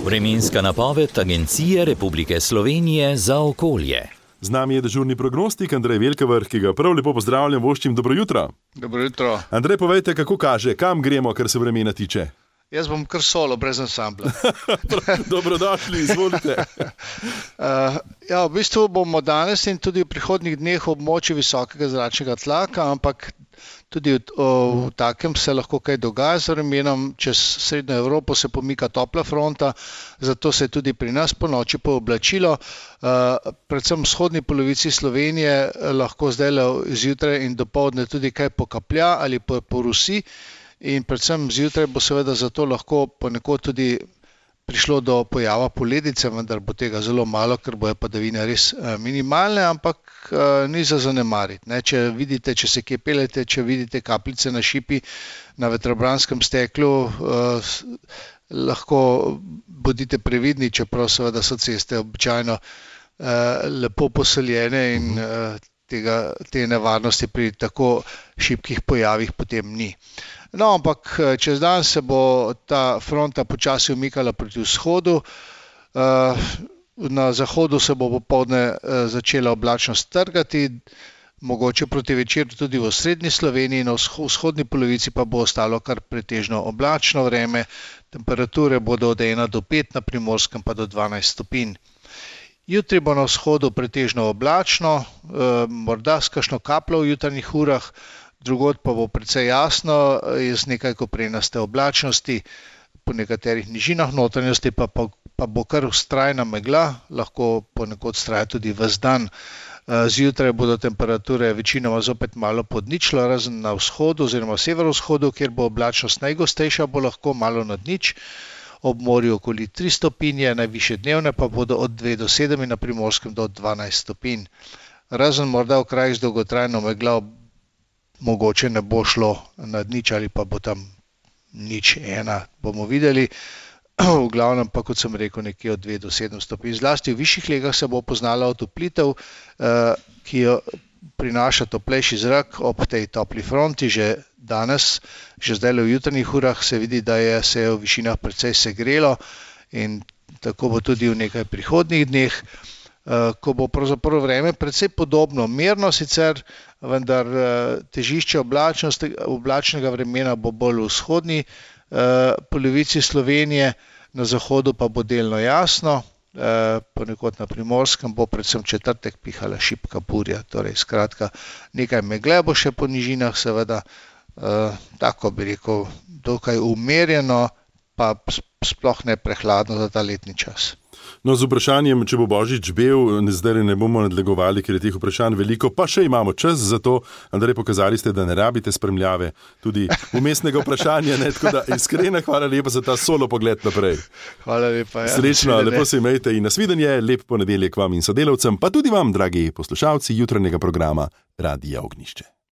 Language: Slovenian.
Vremenska napoved Agencije Republike Slovenije za okolje. Z nami je dežurni prognostik Andrej Velkavrh, ki ga prav lepo pozdravljam, voščim dobro jutro. Dobro jutro. Andrej, povejte, kako kaže, kam gremo, kar se vremena tiče? Jaz bom kar solo, brez ansambla. Dobrodošli, izvolite. V bistvu bomo danes in tudi v prihodnjih dneh v območju visokega zračnega tlaka, ampak tudi v takem se lahko kaj dogaja z vremenom. Čez srednjo Evropo se pomika topla fronta, zato se je tudi pri nas ponoči pooblačilo. Predvsem v vzhodni polovici Slovenije lahko zdaj zjutraj in dopoldne tudi kaj pokaplja ali porusi. In predvsem zjutraj bo seveda zato lahko ponekod tudi prišlo do pojava poledice, vendar bo tega zelo malo, ker bojo padavine res minimalne, ampak ni za zanemariti. Če se kje peljete, če vidite kapljice na šipi na vetrobranskem steklu, lahko bodite previdni, čeprav seveda so ceste običajno lepo poseljene in te nevarnosti pri tako šibkih pojavih potem ni. No, ampak čez dan se bo ta fronta počasi umikala proti vzhodu. Na zahodu se bo popoldne začela oblačnost trgati, mogoče proti večeru tudi v osrednji Sloveniji, na vzhodni polovici pa bo ostalo kar pretežno oblačno vreme. Temperature bodo od 1 do 5, na Primorskem pa do 12 stopinj. Jutri bo na vzhodu pretežno oblačno, morda s kakšno kapljo v jutranjih urah, drugod pa bo precej jasno, z nekaj koprenaste oblačnosti, po nekaterih nižinah notranjosti pa bo kar vztrajna megla, lahko ponekod vztraja tudi ves dan. Zjutraj bodo temperature večinoma zopet malo pod ničlo, razen na vzhodu oziroma severovzhodu, kjer bo oblačnost najgostejša, bo lahko malo nad nič. Ob morju okoli 3 stopinje, najvišje dnevne pa bodo od 2 do 7 in na Primorskem do 12 stopinj. Razen morda v krajih z dolgotrajno meglo mogoče ne bo šlo nad nič ali pa bo tam 0,1, bomo videli. V glavnem pa, kot sem rekel, nekje od 2 do 7 stopinj. Zlasti v višjih legah se bo poznala otoplitev, ki jo prinaša toplejši zrak ob tej topli fronti. Že danes, že zdaj v jutranjih urah se vidi, da se je v višinah precej segrelo in tako bo tudi v nekaj prihodnjih dneh, ko bo pravzaprav vreme precej podobno, mirno sicer, vendar težišče oblačnega vremena bo bolj v vzhodni polovici Slovenije, na zahodu pa bo delno jasno, ponekod na Primorskem bo predvsem četrtek pihala šibka burja, torej skratka nekaj megle bo še po nižinah, seveda tako bi rekel, dokaj umirjeno, pa sploh ne prehladno za ta letni čas. No, z vprašanjem, če bo Božič bel, zdaj ne bomo nadlegovali, ker je teh vprašanj veliko, pa še imamo čas za to. Andrej, pokazali ste, da ne rabite spremljave, tudi umestnega vprašanja, tako da iskrena hvala lepa za ta solo pogled naprej. Hvala lepa. Srečno, lepo se imejte in nasvidenje, lep ponedeljek vam in sodelavcem, pa tudi vam, dragi poslušalci jutranjega programa Radia Ognjišče.